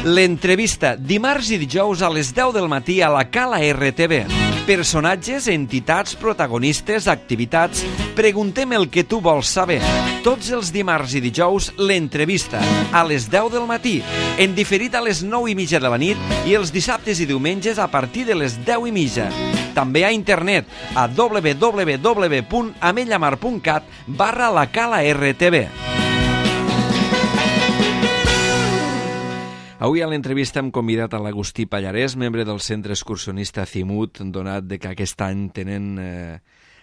L'entrevista, dimarts i dijous a les 10 del matí a la Cala RTV. Personatges, entitats, protagonistes, activitats. Preguntem el que tu vols saber. Tots els dimarts i dijous, l'entrevista, a les 10 del matí. En diferit a les 9:30 de la nit i els dissabtes i diumenges a partir de les 10:30. També a internet a www.amellamar.cat/la Cala RTV. Avui a l'entrevista hem convidat a l'Agustí Pallarès, membre del Centre Excursionista Azimut, donat que aquest any tenen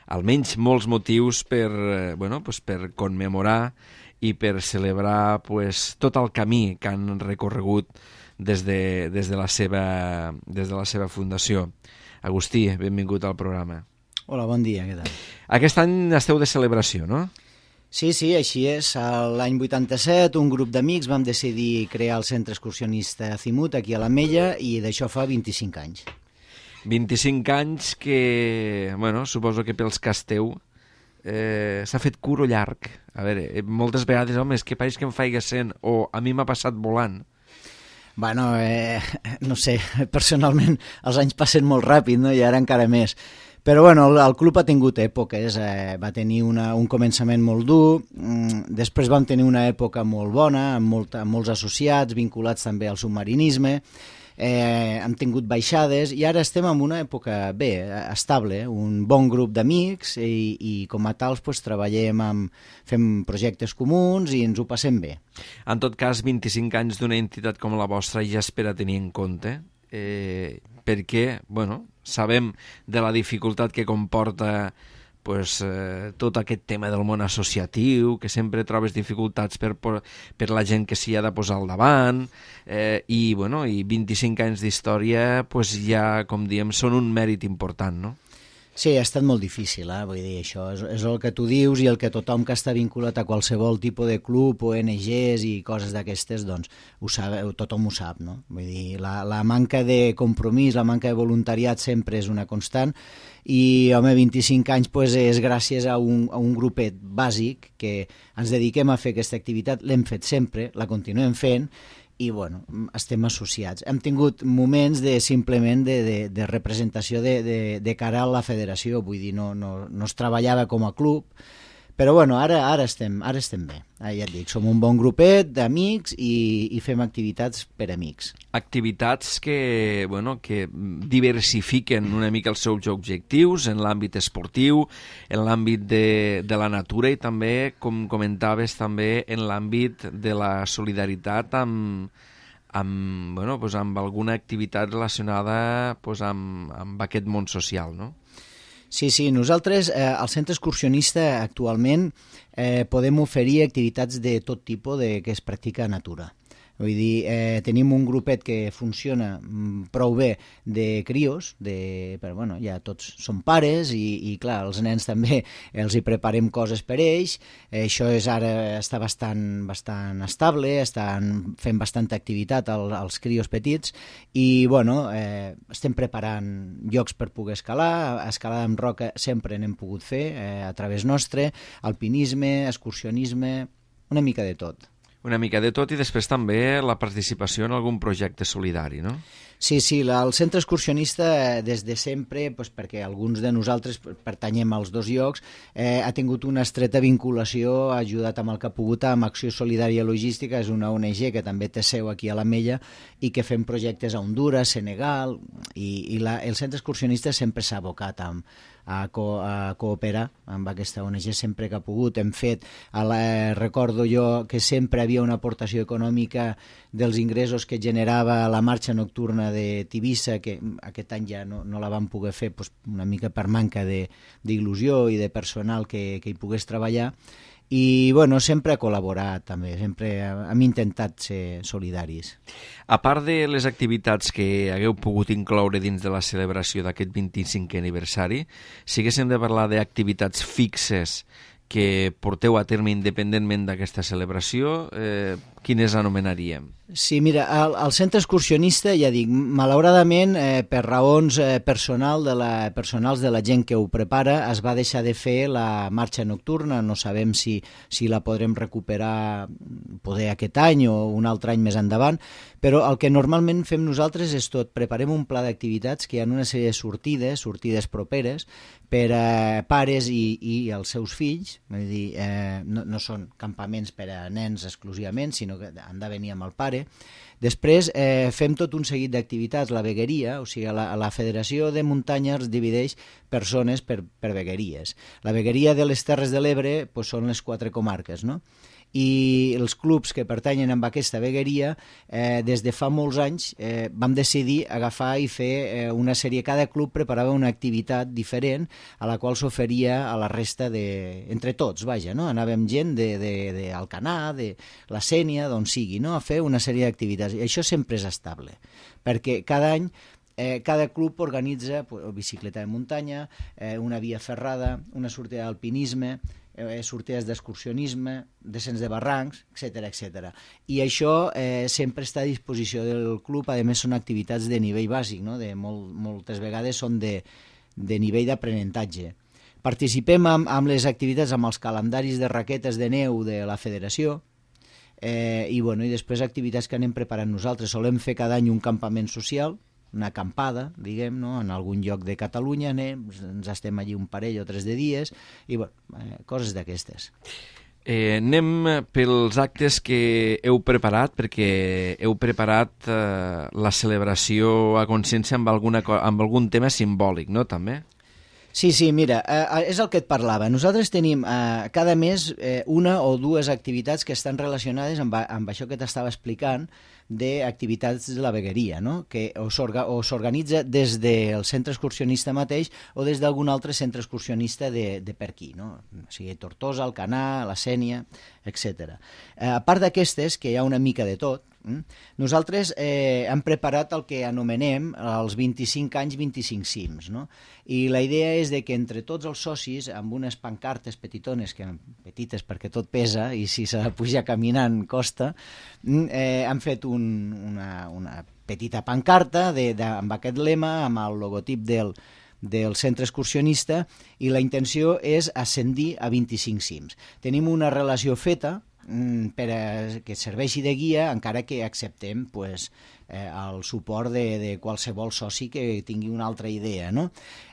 almenys molts motius per commemorar i per celebrar tot el camí que han recorregut des de la seva fundació. Agustí, benvingut al programa. Hola, bon dia, què tal? Aquest any esteu de celebració, no? Sí, així és. L'any 87 un grup d'amics vam decidir crear el Centre Excursionista Azimut aquí a l'Ametlla i d'això fa 25 anys. 25 anys que, suposo que pels que esteu s'ha fet curt o llarg. A veure, moltes vegades, home, és que pareix que em faig 100 o a mi m'ha passat volant. No sé, personalment els anys passen molt ràpid, no? I ara encara més. Però el club ha tingut èpoques, va tenir un començament molt dur, després vam tenir una època molt bona, amb molts associats, vinculats també al submarinisme, hem tingut baixades i ara estem en una època estable, un bon grup d'amics i com a tals treballem, fem projectes comuns i ens ho passem bé. En tot cas, 25 anys d'una entitat com la vostra ja és per a tenir en compte, perquè, sabem de la dificultat que comporta tot aquest tema del món associatiu, que sempre trobes dificultats per la gent que s'hi ha de posar al davant, i 25 anys d'història ja, com diem, són un mèrit important, no? Sí, ha estat molt difícil, vull dir, això és el que tu dius i el que tothom que està vinculat a qualsevol tipus de club, ONGs i coses d'aquestes, doncs tothom ho sap, no? Vull dir, la manca de compromís, la manca de voluntariat sempre és una constant i, 25 anys és gràcies a un grupet bàsic que ens dediquem a fer aquesta activitat, l'hem fet sempre, la continuem fent, i estem associats. Hem tingut moments simplement de representació de cara a la federació, vull dir, no es treballava com a club, però ara estem bé. Ja et dic, som un bon grupet d'amics i fem activitats per amics. Activitats que diversifiquen una mica els seus objectius en l'àmbit esportiu, en l'àmbit de la natura i també, com comentaves, també en l'àmbit de la solidaritat amb alguna activitat relacionada amb aquest món social, no? Sí, nosaltres al Centre Excursionista actualment podem oferir activitats de tot tipus que es practica a natura. Vull dir, tenim un grupet que funciona prou bé de crios, però ja tots són pares i clar, els nens també els hi preparem coses per ells, això ara està bastant estable, estan fent bastanta activitat als crios petits i estem preparant llocs per poder escalar amb roca sempre n'hem pogut fer a través nostre, alpinisme, excursionisme, una mica de tot. Una mica de tot i després també la participació en algun projecte solidari, no? Sí, el Centre Excursionista des de sempre, perquè alguns de nosaltres pertanyem als dos llocs, ha tingut una estreta vinculació, ha ajudat amb el que ha pogut amb Acció Solidària Logística, és una ONG que també té seu aquí a l'Ametlla i que fem projectes a Hondures, Senegal, i el Centre Excursionista sempre s'ha abocat a cooperar amb aquesta ONG sempre que ha pogut. Hem fet, recordo jo que sempre havia una aportació econòmica dels ingressos que generava la marxa nocturna de Tivissa, que aquest any ja no la vam poder fer una mica per manca d'il·lusió i de personal que hi pogués treballar. I sempre ha col·laborat també, sempre hem intentat ser solidaris. A part de les activitats que hagueu pogut incloure dins de la celebració d'aquest 25è aniversari, si haguéssim de parlar d'activitats fixes que porteu a terme independentment d'aquesta celebració, quines anomenaríem? Sí, mira, el centre excursionista, ja dic, malauradament, per raons personals de la gent que ho prepara, es va deixar de fer la marxa nocturna. No sabem si la podrem recuperar poder aquest any o un altre any més endavant, però el que normalment fem nosaltres és tot. Preparem un pla d'activitats que hi ha una sèrie de sortides properes, per a pares i els seus fills, és a dir, no són campaments per a nens exclusivament, sinó que han de venir amb el pare. Després fem tot un seguit d'activitats, la vegueria, o sigui, la Federació de Muntanya es divideix per zones, per vegueries. La vegueria de les Terres de l'Ebre són les 4 comarques, no? I els clubs que pertanyen a aquesta vegueria, des de fa molts anys vam decidir agafar i fer una sèrie. Cada club preparava una activitat diferent a la qual s'oferia a la resta entre tots, vaja, no? Anàvem gent d'Alcanar, de la Sénia, d'on sigui, no? A fer una sèrie d'activitats. I això sempre és estable, perquè cada any cada club organitza bicicleta de muntanya, una via ferrada, una sortida d'alpinisme, sortides d'excursionisme, descens de barrancs, etc. I això sempre està a disposició del club. A més, són activitats de nivell bàsic, no? Moltes vegades són de nivell d'aprenentatge. Participem amb les activitats, amb els calendaris de raquetes de neu de la federació, i després activitats que anem preparant nosaltres. Solem fer cada any un campament social, una acampada, diguem, no? En algun lloc de Catalunya, ens estem allí un parell o 3 de dies, i coses d'aquestes. Anem pels actes que heu preparat, perquè heu preparat la celebració a consciència amb algun tema simbòlic, no?, també? Sí, mira, és el que et parlava. Nosaltres tenim cada mes una o dues activitats que estan relacionades amb això que t'estava explicant, d'activitats de la vegueria, no? Que o s'organitza des del centre excursionista mateix o des d'algun altre centre excursionista de per aquí, no? O sigui, Tortosa, Alcanar, la Sénia, etc. A part d'aquestes, que hi ha una mica de tot, nosaltres hem preparat el que anomenem els 25 anys 25 cims, no? I la idea és de que entre tots els socis, amb unes pancartes petitones, petites perquè tot pesa i si s'ha de pujar caminant costa, han fet una petita pancarta amb aquest lema, amb el logotip del centre excursionista, i la intenció és ascendir a 25 cims. Tenim una relació feta per que serveixi de guia, encara que acceptem el suport de qualsevol soci que tingui una altra idea, no?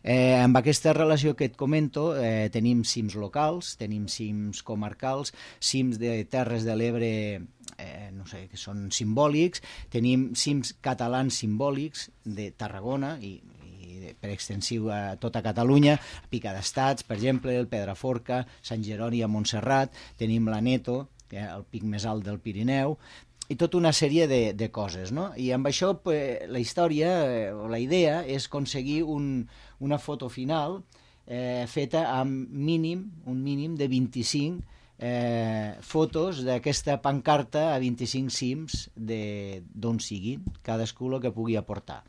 Amb aquesta relació que et comento, tenim cims locals, tenim cims comarcals, cims de Terres de l'Ebre, que són simbòlics, tenim cims catalans simbòlics de Tarragona i per extensiu a tota Catalunya, Pica d'Estats, per exemple, el Pedraforca, Sant Jeroni a Montserrat, tenim l'Aneto, el pic més alt del Pirineu, i tota una sèrie de coses, no? I amb això la història o la idea és aconseguir una foto final feta amb un mínim de 25 fotos d'aquesta pancarta a 25 cims d'on siguin, cadascú el que pugui aportar.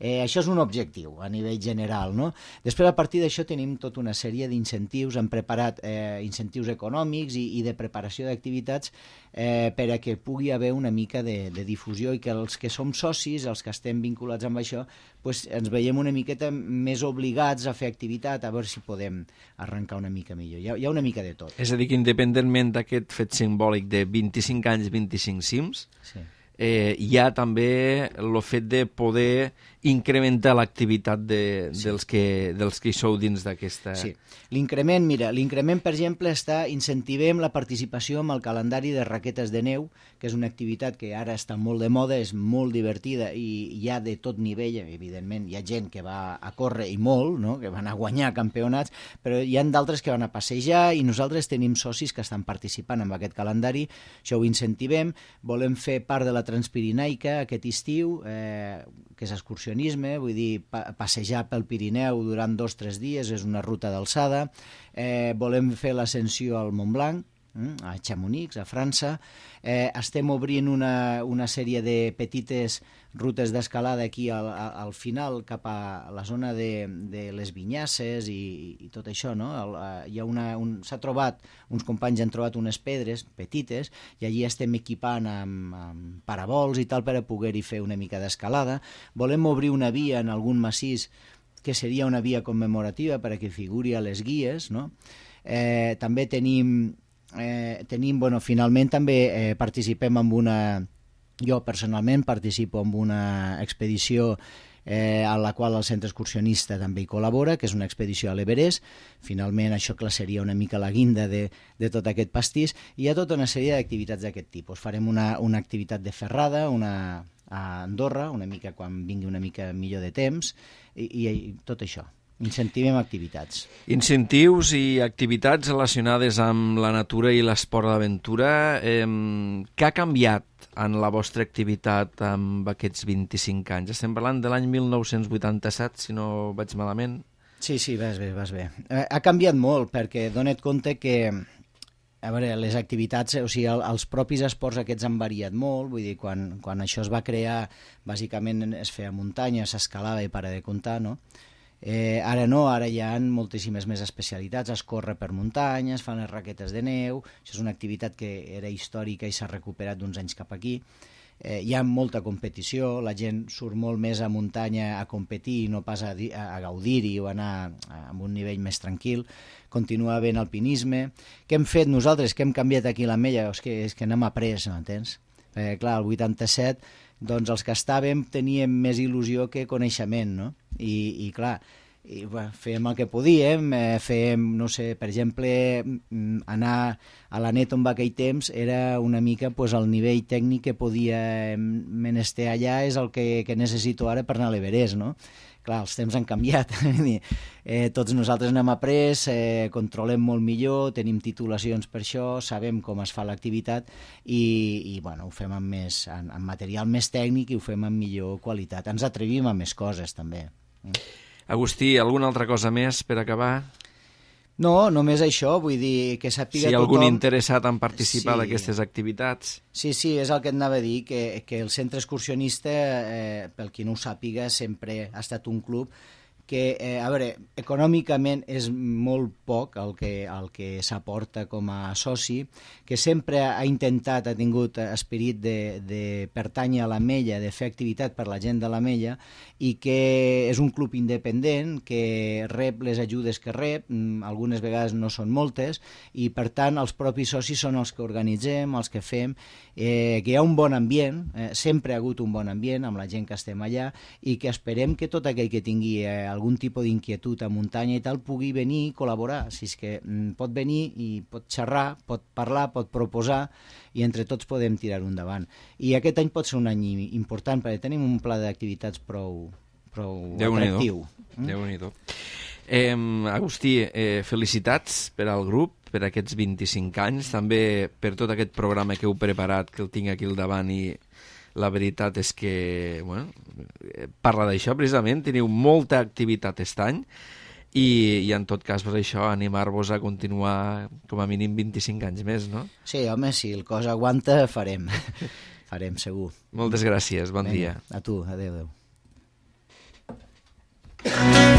Això és un objectiu a nivell general, no? Després, a partir d'això, tenim tota una sèrie d'incentius. Hem preparat incentius econòmics i de preparació d'activitats per a que pugui haver una mica de difusió i que els que som socis, els que estem vinculats amb això, ens veiem una miqueta més obligats a fer activitat, a veure si podem arrencar una mica millor. Hi ha una mica de tot. És a dir, que independentment d'aquest fet simbòlic de 25 anys, 25 cims, sí, hi ha també el fet de poder incrementar l'activitat dels que hi sou dins d'aquesta... Sí, l'increment, per exemple, incentivem la participació amb el calendari de raquetes de neu, que és una activitat que ara està molt de moda, és molt divertida i hi ha de tot nivell, evidentment. Hi ha gent que va a córrer i molt, no? Que van a guanyar campionats, però hi ha d'altres que van a passejar i nosaltres tenim socis que estan participant en aquest calendari, això ho incentivem. Volem fer part de la Transpirinaica aquest estiu, que és excursionisme, vull dir, passejar pel Pirineu durant 2 o 3 dies, és una ruta d'alçada. Volem fer l'ascensió al Montblanc, a Chamonix, a França. Estem obrint una sèrie de petites rutes d'escalada aquí al final, cap a la zona de les Vinyasses i tot això, no? S'ha trobat, uns companys han trobat unes pedres petites i allí estem equipant amb parabols i tal per a poder-hi fer una mica d'escalada. Volem obrir una via en algun massís que seria una via commemorativa perquè figuri a les guies, no? També finalment també participem amb jo personalment participo en una expedició a la qual el centre excursionista també hi col·labora, que és una expedició a l'Everest. Finalment això seria una mica la guinda de tot aquest pastís. Hi ha tota una sèrie d'activitats d'aquest tipus. Farem una activitat de ferrada, a Andorra, una mica quan vingui una mica millor de temps, i tot això. Incentivem activitats. Incentius i activitats relacionades amb la natura i l'esport d'aventura. Què ha canviat en la vostra activitat amb aquests 25 anys? Estem parlant de l'any 1987, si no vaig malament. Sí, vas bé. Ha canviat molt, perquè dona't compte que les activitats, o sigui, els propis esports aquests han variat molt, vull dir, quan això es va crear, bàsicament es feia muntanya, s'escalava i para de comptar, no? Ara no, ara hi ha moltíssimes més especialitats, es corre per muntanya, es fan les raquetes de neu, això és una activitat que era històrica i s'ha recuperat d'uns anys cap aquí. Hi ha molta competició, la gent surt molt més a muntanya a competir i no pas a gaudir-hi o anar amb un nivell més tranquil. Continua havent alpinisme. Què hem fet nosaltres? Què hem canviat aquí a l'Ametlla? És que n'hem après, m'entens? Clar, el 87, doncs els que estàvem teníem més il·lusió que coneixement, no? I clar, fèiem el que podíem, fèiem, no sé, per exemple, anar a la net on va aquell temps era una mica el nivell tècnic que podia menester allà és el que necessito ara per anar a l'Everest, no? Clar, els temps han canviat. Tots nosaltres n'hem après, controlem molt millor, tenim titulacions per això, sabem com es fa l'activitat i ho fem amb material més tècnic i ho fem amb millor qualitat. Ens atrevim a més coses, també. Agustí, alguna altra cosa més per acabar? No, només això, vull dir que sàpiga tothom... Si algun interessat en participar d'aquestes activitats... Sí, és el que et anava a dir, que el centre excursionista, pel qui no ho sàpiga, sempre ha estat un club que, econòmicament és molt poc el que s'aporta com a soci, que sempre ha tingut esperit de pertànyer a l'Ametlla, de fer activitat per la gent de l'Ametlla, i que és un club independent que rep les ajudes que rep, algunes vegades no són moltes, i per tant els propis socis són els que organitzem, els que fem, que hi ha un bon ambient, sempre ha hagut un bon ambient amb la gent que estem allà, i que esperem que tot aquell que tingui algun tipus d'inquietud a muntanya i tal pugui venir i col·laborar. Si és que pot venir i pot xerrar, pot parlar, pot proposar i entre tots podem tirar-ho endavant. I aquest any pot ser un any important perquè tenim un pla d'activitats prou atractiu. Déu-n'hi-do. Agustí, felicitats per al grup, per aquests 25 anys, també per tot aquest programa que heu preparat, que el tinc aquí al davant i la veritat és que parla d'això precisament, teniu molta activitat aquest any i en tot cas per això animar-vos a continuar com a mínim 25 anys més, no? Sí, home, si el cos aguanta farem segur. Moltes gràcies, bon dia. A tu, adéu.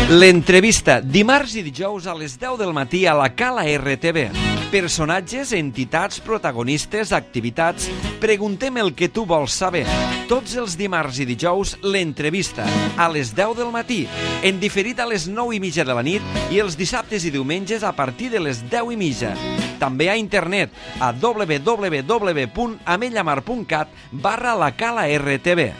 L'entrevista, dimarts i dijous a les 10 del matí a la Cala RTV. Personatges, entitats, protagonistes, activitats... Preguntem el que tu vols saber. Tots els dimarts i dijous, l'entrevista, a les 10 del matí, en diferit a les 9:30 de la nit i els dissabtes i diumenges a partir de les 10:30. També a internet a www.amellamar.cat/la Cala RTV.